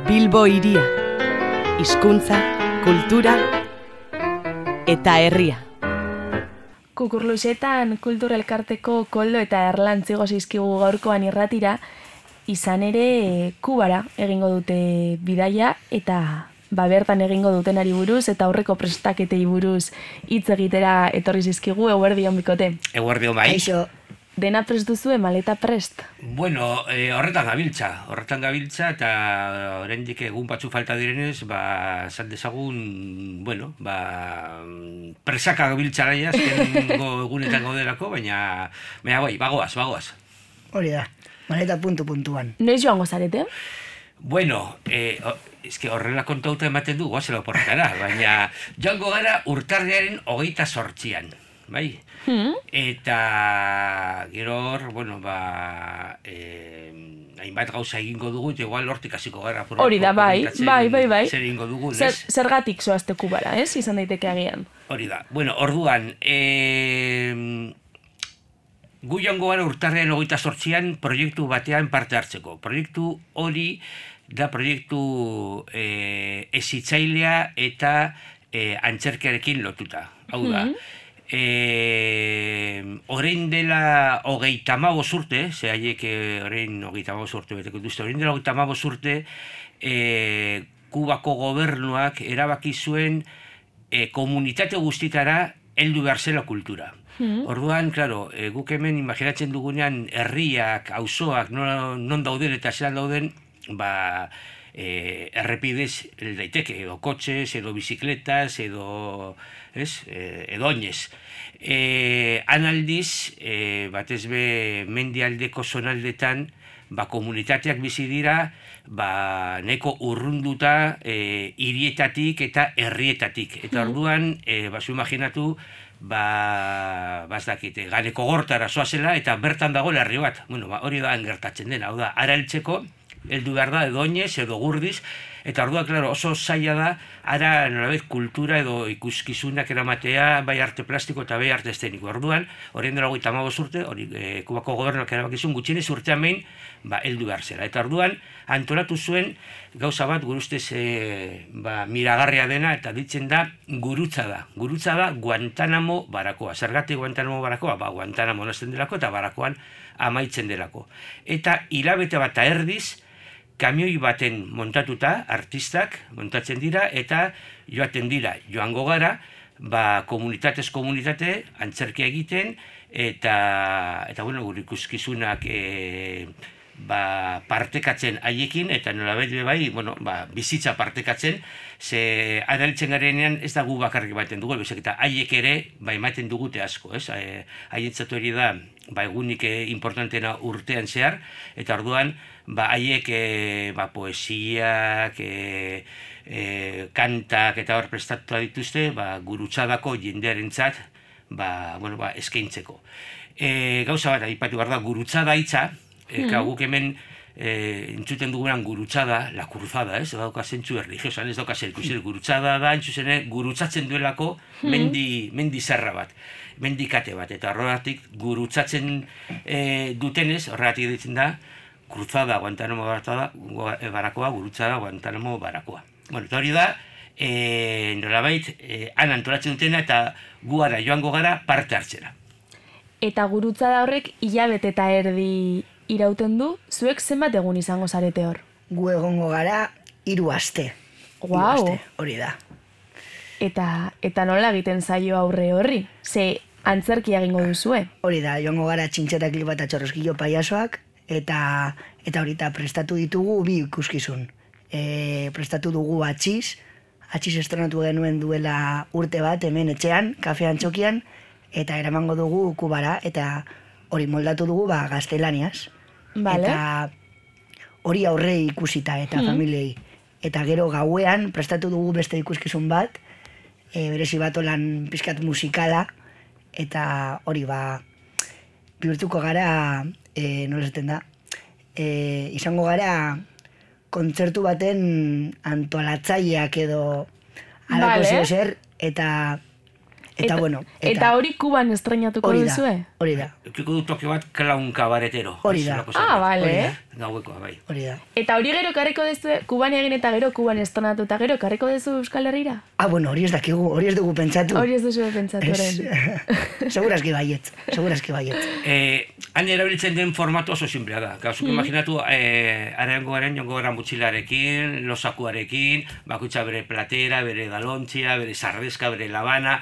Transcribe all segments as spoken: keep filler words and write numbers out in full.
Bilbo hiria, hizkuntza, kultura eta herria. Kukurluxetan kultur elkarteko Koldo eta Erlan zigo zizkigu gaurkoan irratira, izan ere Kubara egingo dute bidaia eta ba bertan egingo dutenari buruz eta aurreko prestaketei buruz hitz egitera etorri zizkigu. Eguerdion bikote. Eguerdion bai. Aixo. Dena prest duzue, maleta prest? Bueno, eh, horretan gabiltza, horretan gabiltza eta oraindik egun batzu falta direnez, ba, esan dezagun, bueno, ba, presaka gabiltza nahi azkengo egunetan gaudelako, baina, baina bai, bagoaz, bagoaz. Hori da, maleta puntu-puntuan. Noiz joango zarete? Bueno, eh, eske horrela kontauta ematen du, goazela oporretara, baina joango gara urtarriaren hogeita sortzian, bai? Hmm. Eta gero hor, bueno, ba, eh, hainbat gauza egingo dugu, eta igual hortik hasiko gara. Hori da, bai, bai, bai, bai. Zer egingo dugu, Zer, zergatik zoazte Kubara, ez? Izan daiteke agian. Hori da. Bueno, orduan, eh, gu joango gara urtarrean hogeita sortzian proiektu batean parte hartzeko. Proiektu hori da proiektu eh, ezitzailea eta eh, antzerkiarekin lotuta. Hau da. Hmm. Eh, orain dela hogeita hamabost urte, ze haiek orain hogeita hamabost urte beteko duzte, orain dela hogeita hamabost urte, eh, Kubako gobernuak erabaki zuen eh, komunitate guztitara heldu behar zela kultura. Hmm. Orduan, klaro, eh, guk hemen imaginatzen dugunean herriak, auzoak, non, non dauden eta zelan dauden, ba, eh, errepidez daiteke, edo kotxez, edo bizikletas, edo, ez, eh, edo oinez. Eh, analdiz, eh, batez be mendialdeko zonaldetan, ba, komunitateak bizi dira, ba, neko urrunduta eh, hirietatik eta herrietatik. Eta orduan, eh, bazu imaginatu, ba, bazdakite, Ganeko Gortara zoazela, eta bertan dago herri bat. Bueno, ba, hori da gertatzen dena, hau da, ara heltzeko, heldu behar da, edo oinez, edo gurdiz, eta orduan, klaro, oso zaila da, ara, nolabait, kultura edo ikuskizunak eramatea, bai arte plastiko eta bai arte eszeniko. Orduan, horien dela hogeita hamabost urte, hori, e, Kubako gobernuak erabakizun, gutxienez urtean behin, ba, heldu behar zela. Eta orduan, antolatu zuen, gauza bat, gure ustez, e, ba, miragarria dena, eta ditzen da, gurutza da. Gurutza da, Guantanamo barakoa. Zergatik Guantanamo barakoa? Ba, Guantanamo nazten delako, eta barakoan amaitzen delako. Eta hilabete bat eta erdiz, kamioi baten montatuta, artistak montatzen dira, eta joaten dira, joango gara, ba, komunitatez komunitate, antzerkia egiten, eta, eta bueno, gure ikuskizunak e, ba, partekatzen haiekin, eta nolabait bai, bueno, ba, bizitza partekatzen, ze adaltzen garenean ez da gu bakarrik baten dugu, bezak, eta haiek ere, ba, ematen dugute asko, ez? E, haientzatu hori da, ba, egunik e, importantena urtean zehar, eta orduan, ba, haiek e, ba, poesiak, e, e, kantak eta hor prestatu dituzte, ba, gurutzadako jendearentzat, ba, bueno, ba, eskaintzeko. E, gauza bat, aipatu behar da, gurutzada hitza, e, mm. guk hemen e, entzuten dugunan gurutzada, la cruzada, ez? Dauka zentzu erligiosan, ez dauka zer ikusi, gurutzada da, entzuzene, gurutzatzen duelako mendi, mendi zerra bat, mendikate bat, eta horregatik gurutzatzen e, dutenez, horregatik ditzen da, Cruzada, Guantanamo barakoa, gurutzada, Guantanamo barakoa. Bueno, eta hori da, e, nolabait, e, han antolatzen dutena eta gu gara joango gara parte hartzera. Eta gurutzada horrek hilabete eta erdi irauten du, zuek zenbat egun izango zarete hor? Gu egongo gara hiru aste. Guau! Hori da. Eta, eta nola egiten zaio aurre horri? Ze antzerkia egingo duzue? Hori da, joango gara txintxeta klipa eta txorroskillo paiasoak, eta eta horita prestatu ditugu bi ikuskizun. E, prestatu dugu atxiz, atxiz estrenatu genuen duela urte bat hemen etxean, kafean txokian, eta eramango dugu Kubara, eta hori moldatu dugu ba, gaztelaniaz. Vale. Eta hori aurrei ikusita eta hmm. familiei. Eta gero gauean prestatu dugu beste ikuskizun bat, e, berezi bat olan pizkat musikala, eta hori ba, bihurtuko gara, e, nola esaten da, e, izango gara kontzertu baten antolatzaileak edo alako vale. Zer, eta Eta, eta bueno... Eta, eta hori Kuban estrenatuko duzue? Hori da. Ekiko du toke bat klaun kabaretero. Hori da. Ah, bale. gauekoa, bai. Hori da. Eta hori gero karriko dezu, Kuban egin eta gero, Kuban estonatu eta gero, karriko dezu Euskal Herrira? Ah, bueno, hori ez dakigu, hori ez dugu pentsatu. Hori ez duzu pentsatu, orain. Segurazki baietz, segurazki baietz. Eh, han erabiltzen den formatu oso simplea da. Gauzuk Mm. imaginatu, eh, areango garen, jongo gara mutxilarekin, losakuarekin, bakoitza bere platera, bere galontzia, bere sardezka, bere labana,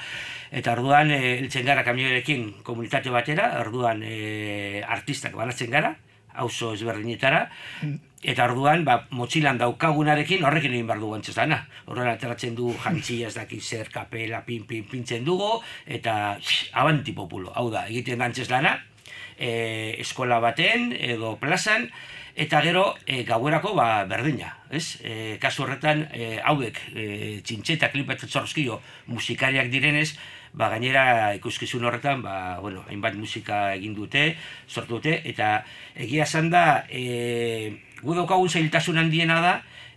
eta orduan, eh, heltzen gara kamioarekin komunitate batera, orduan eh, artistak banatzen gara, auzo ezberdinetara, eta orduan, ba, motxilan daukagunarekin horrekin egin behar dugu antzestana. Horren ateratzen du jantzia ez daki zer, kapela, pin, pin, pintzen dugu, eta sh, abanti populo. Hau da, egiten da antzestana, e, eskola baten edo plazan, eta gero e, gauerako ba, berdina. Ez? E, kasu horretan, e, hauek e, txintxeta klipatzen zorrozkio musikariak direnez, ba, gainera ikuskizun horretan, ba, bueno, hainbat musika egin dute, sortu dute, eta egia esan da, e, gu daukagun zailtasun handiena da,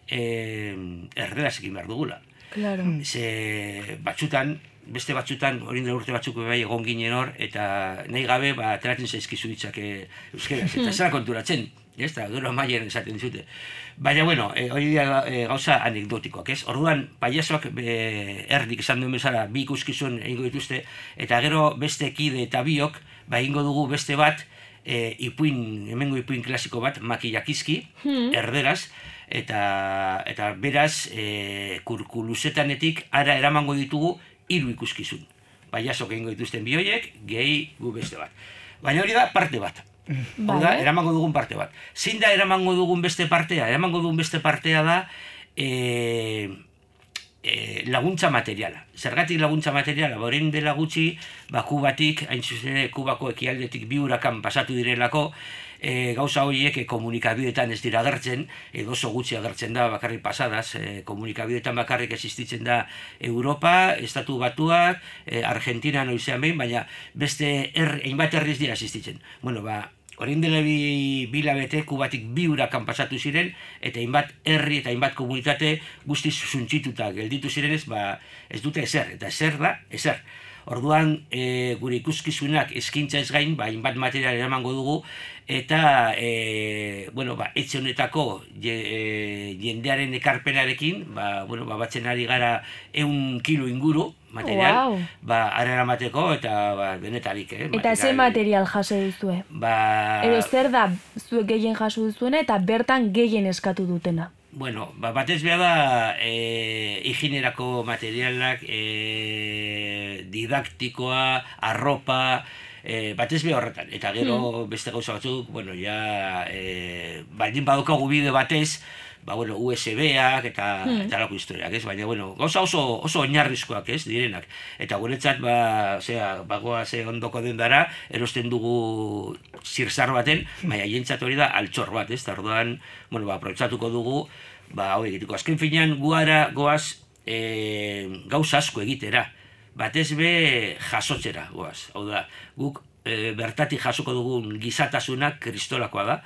e, erderaz egin behar dugula. Claro. Ze batzutan, beste batzutan, hori dira urte batzuk bai egon ginen hor, eta nahi gabe, ba, ateratzen zaizkizu ditzak e, euskeraz, eta zera konturatzen, ez da, gero amaien esaten dizute. Baina, bueno, e, hori dira e, gauza anekdotikoak, ez? Orduan, paiazoak e, erdik esan duen bezala bi ikuskizun egingo dituzte, eta gero beste kide eta biok, ba egingo dugu beste bat, e, ipuin, hemengo ipuin klasiko bat, makiakizki, Hmm. erderaz, eta, eta beraz, e, kurkuluzetanetik ara eramango ditugu hiru ikuskizun. Paiazok egingo dituzten bi horiek, gehi gu beste bat. Baina hori da parte bat. Hau da, Vale. eramango dugun parte bat. Zein da eramango dugun beste partea? Eramango dugun beste partea da e, e, laguntza materiala. Zergatik laguntza materiala? Orain dela gutxi, ba, Kubatik, hain zuzen ere, Kubako ekialdetik bi hurakan pasatu direlako, e, gauza horiek e, komunikabideetan ez dira agertzen, edo oso gutxi agertzen da bakarrik pasadaz, e, komunikabideetan bakarrik existitzen da Europa, Estatu Batuak, e, Argentina noizean behin, baina beste er, hainbat herriz dira existitzen. Bueno, ba, orain dela bi bilabete Kubatik bi hurakan pasatu ziren, eta hainbat herri eta hainbat komunitate guztiz suntzituta gelditu zirenez, ba, ez dute ezer, eta ezer da, ezer. Orduan, e, gure ikuskizunak eskaintza ez gain, ba, hainbat material eramango dugu, eta, e, bueno, ba, etxe honetako je, e, jendearen ekarpenarekin, ba, bueno, ba, batzen ari gara ehun kilo inguru material, Wow. ba, ara eramateko, eta ba, denetarik, eh? Eta ze material jaso duzue? Ba, Edo zer da zuek gehien jaso duzuena eta bertan gehien eskatu dutena? bueno, ba, batez beha da e, higienerako materialak, e, didaktikoa, arropa, e, batez beha horretan. Eta gero beste gauza batzuk, bueno, ja, e, baldin badaukagu bide batez, ba, bueno, U S B-ak eta, Hmm. eta lako historiak, ez? Baina, bueno, gauza oso, oso oinarrizkoak, ez, direnak. Eta guretzat, ba, osea, bagoa ze ondoko den dara, erosten dugu zirzar baten, baina jentzat hori da altxor bat, ez? Ta orduan, bueno, ba, aprobetxatuko dugu, ba, hau egiteko. Azken finean, guara goaz e, gauza asko egitera. Batez be jasotzera goaz. Hau da, guk e, bertatik jasoko dugun gizatasunak kristolakoa da.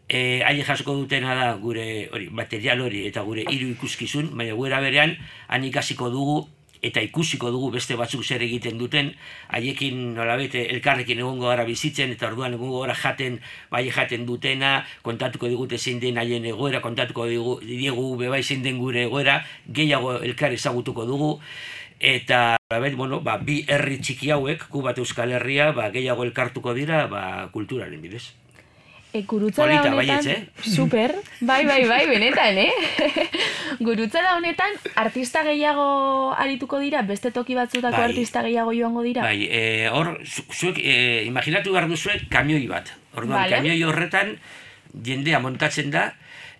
E, haie jasoko dutena da gure hori, material hori eta gure hiru ikuskizun, baina guera berean han ikasiko dugu eta ikusiko dugu beste batzuk zer egiten duten, haiekin nolabait elkarrekin egongo gara bizitzen, eta orduan egongo gara jaten, bai jaten dutena, kontatuko digute zein den haien egoera, kontatuko digu, diegu bebai zein den gure egoera, gehiago elkar ezagutuko dugu, eta nolabait, bueno, ba, bi herri txiki hauek, Kubat Euskal Herria, ba, gehiago elkartuko dira ba, kulturaren bidez. E, gurutzada Polita, honetan, baietz, eh? super, bai, bai, bai, benetan, eh? Gurutzada honetan, artista gehiago arituko dira, beste toki batzutako Bai. artista gehiago joango dira? Bai, e, hor, zu- zuek, e, imaginatu behar duzuek kamioi bat. Orduan, Vale. kamioi horretan jendea montatzen da,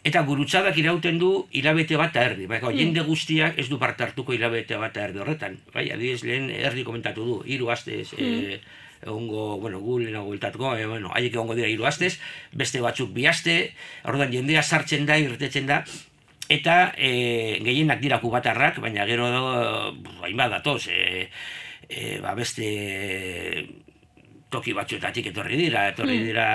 eta gurutzadak irauten du hilabete bat eta erdi. Bai, jende guztiak ez du parte hartuko hilabete bat eta erdi horretan. Bai, adibidez lehen erdi komentatu du, hiru astez, e, egongo, bueno, gu lehenago bueltatuko, e, bueno, haiek egongo dira hiru astez, beste batzuk bi aste, orduan jendea sartzen da, irtetzen da, eta e, gehienak dira kubatarrak, baina gero hainbat datoz, e, e, ba beste toki batzuetatik etorri dira, etorri dira,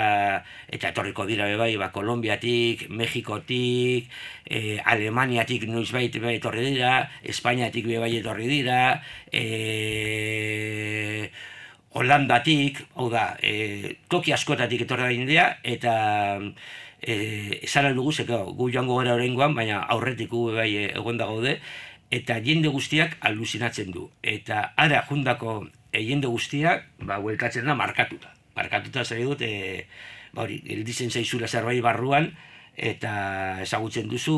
eta etorriko dira bebai, ba, Kolombiatik, Mexikotik, e, Alemaniatik noizbait bebai etorri dira, Espainiatik bebai etorri dira, e, Holandatik, hau da, e, toki askotatik etorri da jendea, eta e, esan dugu, zeka, gu joango gara oraingoan, baina aurretik gu bai egon da gaude, eta jende guztiak alusinatzen du. Eta ara jundako e, jende guztiak, ba, huelkatzen da markatuta. Markatuta zer dut, e, ba hori, gelditzen zaizula zerbait barruan, eta ezagutzen duzu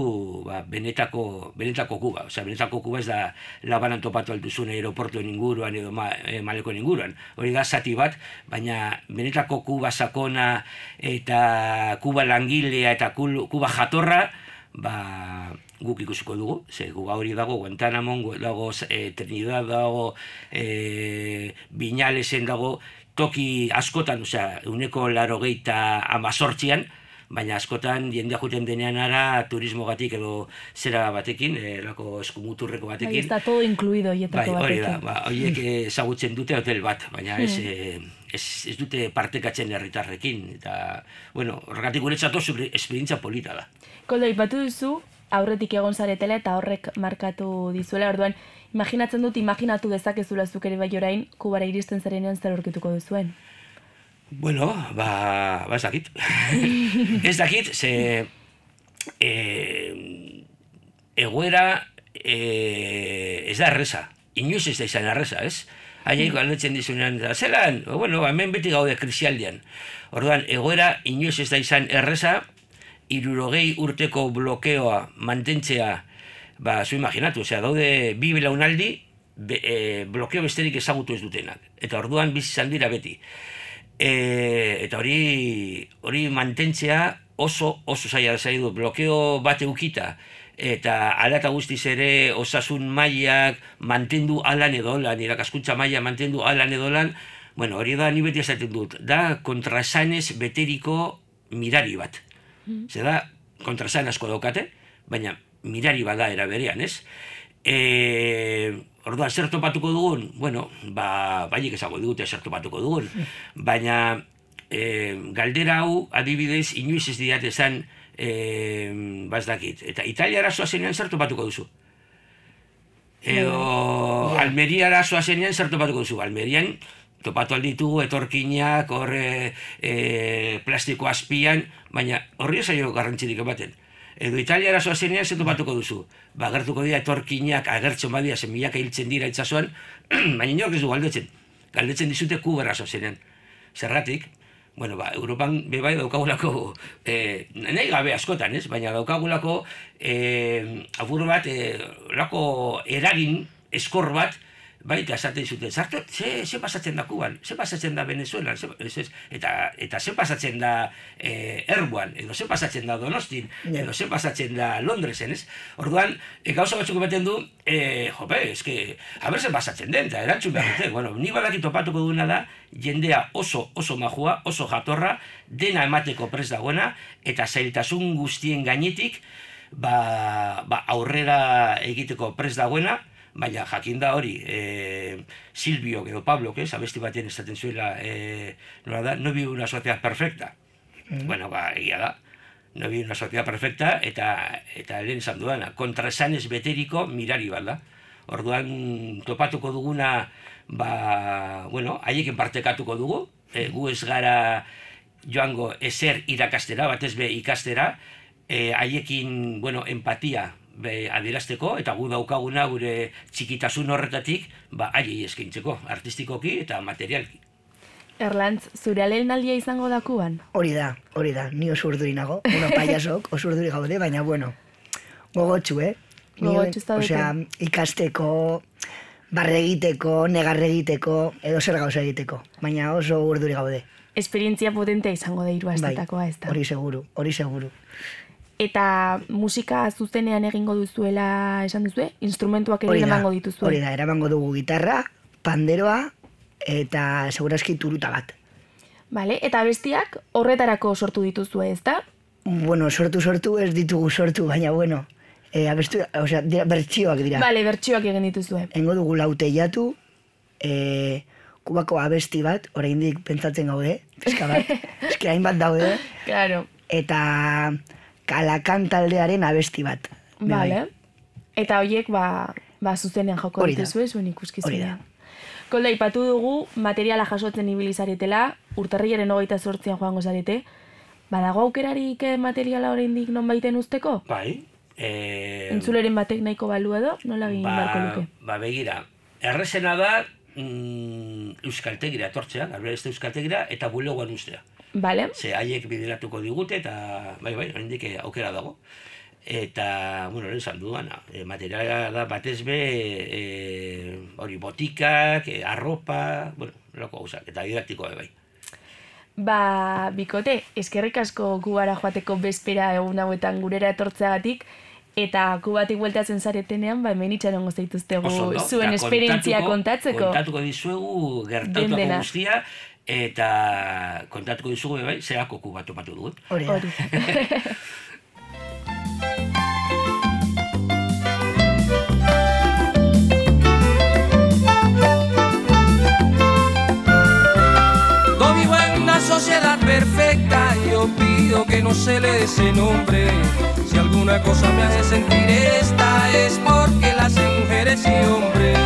ba, benetako, benetako Kuba. Osea, benetako Kuba ez da Labanan topatu alduzun aeroportuen inguruan edo ma, e, Malekoen inguruan. Hori da zati bat, baina benetako Kuba sakona eta Kuba langilea eta Kuba jatorra, ba, guk ikusiko dugu. Ze Kuba hori dago, Guantanamo dago, e, Trinidad dago, e, Viñalesen dago, toki askotan, osea, uneko larogeita amazortzian, baina askotan jendea juten denean ara turismogatik edo zera batekin, erako eskumuturreko batekin. Bai, está todo incluido hietako bai, hori batekin. da, ba, horiek ezagutzen dute hotel bat, baina ez, hmm. ez, ez dute partekatzen herritarrekin. Eta, bueno, horregatik guretzat oso esperientzia polita da. Koldo, ipatu duzu, aurretik egon zaretela eta horrek markatu dizuela, orduan, imaginatzen dut, imaginatu dezakezula zuk ere bai orain, Kubara iristen zarenean zer aurkituko duzuen. Bueno, ba, ba ez dakit. Ez dakit, ze e, egoera e, ez da erreza. Inoiz ez da izan erreza, ez? Haiek galdetzen dizunean, zelan, bueno, hemen beti gaude krisialdian. Orduan, egoera inoiz ez da izan erreza, hirurogei urteko blokeoa mantentzea, ba, zu imaginatu, osea, daude bi belaunaldi be, e, blokeo besterik ezagutu ez dutenak. Eta orduan bizi izan dira beti. E, eta hori hori mantentzea oso oso zaila zaidu, blokeo bat eukita eta ala eta guztiz ere osasun mailak mantendu alan edo lan, irakaskuntza maila mantendu alan edo lan, bueno, hori da ni beti esaten dut, da kontraesanez beteriko mirari bat. Mm. Zer da, kontraesan asko daukate, baina mirari bada era berean, ez? E, orduan, zer topatuko dugun? Bueno, ba, baiek ezago digute zer topatuko dugun. Baina, e, galdera hau, adibidez, inoiz ez diat esan, e, bazdakit. Eta Italiara zoazenean zer topatuko duzu? Edo, Almeriara zoazenean zer topatuko duzu? Almerian, topatu alditugu etorkinak, hor e, e, plastiko azpian, baina horri esaio garrantzirik ematen. Edo Italiara zoazenean zer topatuko duzu. Ba, agertuko dira etorkinak, agertzen badia, zen milaka hiltzen dira itsasoan, baina inork ez du galdetzen. Galdetzen dizute Kubara zoazenean. Zerratik, bueno, ba, Europan bebai daukagulako, eh, nahi gabe askotan, ez? Baina daukagulako eh, apur bat, eh, lako eragin eskor bat, baita esaten zuten, zartu, ze, ze pasatzen da Kuban, ze pasatzen da Venezuelan, ze, ez, eta, eta ze pasatzen da e, Erbuan, edo ze pasatzen da Donostin, edo ze pasatzen da Londresen, ez? Orduan, e, gauza batzuk ematen du, e, jope, eske, haber ze pasatzen den, eta erantzun behar dute, bueno, ni badaki topatuko duena da, jendea oso, oso majua, oso jatorra, dena emateko prest dagoena, eta zailtasun guztien gainetik, ba, ba aurrera egiteko prest dagoena, baina jakin da hori, e, Silvio edo Pablo, que es, abesti batean esaten zuela, e, nola da, no vive una sociedad perfecta. Mm. Bueno, ba, egia da, no vive una sociedad perfecta, eta, eta lehen esan duana, kontraesanez beteriko mirari bat da. Orduan, topatuko duguna, ba, bueno, haieken partekatuko dugu, e, gu ez gara joango ezer irakastera, batez be ikastera, e, haiekin, bueno, empatia, be, adierazteko, eta gu daukaguna gure txikitasun horretatik, ba, haiei eskaintzeko, artistikoki eta materialki. Erlantz, zure alelenaldia izango da Kuban? Hori da, hori da, ni oso urduri nago, bueno, payasok oso urduri gaude, baina, bueno, gogotxu, eh? Gogotxu ez da dute. Osea, ikasteko, barre egiteko, negarre egiteko, edo zer gauza egiteko, baina oso urduri gaude. Esperientzia potentea izango da hiru astetakoa, ez da? Hori seguru, hori seguru. Eta musika zuzenean egingo duzuela esan duzue? Instrumentuak ere eramango dituzue? Hori da, eramango dugu gitarra, panderoa eta segurazki turuta bat. Vale, eta bestiak horretarako sortu dituzue, ez da? Bueno, sortu sortu ez ditugu sortu, baina bueno, e, abestu, osea, dira, bertsioak dira. Vale, bertsioak egin dituzue. Engo dugu lauteiatu, e, Kubako abesti bat, oraindik pentsatzen gaude, pizka bat, eske hainbat daude. Claro. Eta Kalakan taldearen abesti bat. Vale. Eta horiek, ba, ba zuzenean joko dituzue, zuen ikuskizunean. Kolda, ipatu dugu, materiala jasotzen ibili zaretela, urtarrilaren hogeita zortzian joango zarete, Badago aukerarik eh, materiala oraindik non baiten usteko? Bai. E, Entzuleren batek nahiko balu edo, nola egin ba, beharko luke? Ba, begira, errezena da mm, euskaltegira etortzea, Albeste euskaltegira, eta bulegoan ustea. Bale. Ze haiek bideratuko digute, eta bai, bai, oraindik aukera dago. Eta, bueno, lehen esan duana, e, materiala da batez be, e, hori botikak, e, arropa, bueno, loko gauzak, eta didaktikoa bai. Ba, bikote, eskerrik asko Kubara joateko bezpera egun hauetan gurera etortzeagatik, eta Kubatik bueltatzen zaretenean, ba, hemen itxarongo zaituztegu zuen esperientzia kontatzeko. Kontatuko dizuegu gertatutako guztia, eta kontatuko dizugu bai, zerako Kuba topatu dugun. Hori da. Sociedad perfecta, yo pido que no se le dé ese nombre. Si alguna cosa me hace sentir esta es porque la hacen mujeres y hombres.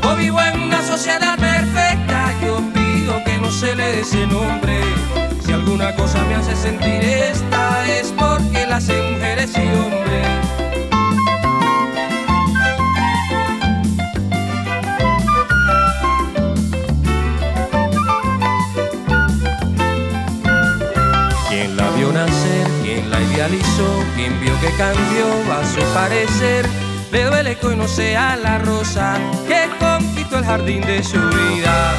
Yo vivo en una sociedad perfecta, yo pido que no se le dé ese nombre. Si alguna cosa me hace sentir esta es porque la hacen mujeres y hombres. Quien la vio nacer, quien la idealizó, quien vio que cambió a su parecer, le duele que hoy no sea la rosa que conquistó el jardín de su vida.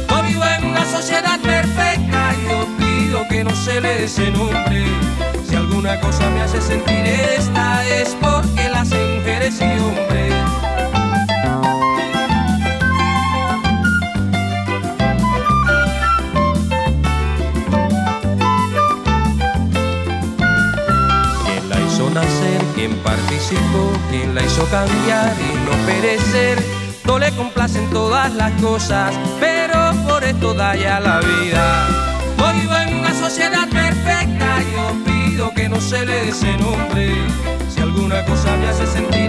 Yo vivo en una sociedad perfecta, yo pido que no se le dé ese nombre. Si alguna cosa me hace sentir esta es porque la hacen mujeres y hombres. Quien la hizo nacer, quien participó, quien la hizo cambiar y no perecer. No le complacen todas las cosas, pero por esto da ya la vida. Yo vivo en una sociedad perfecta, yo pido que no se le dé ese nombre. Si alguna cosa me hace sentir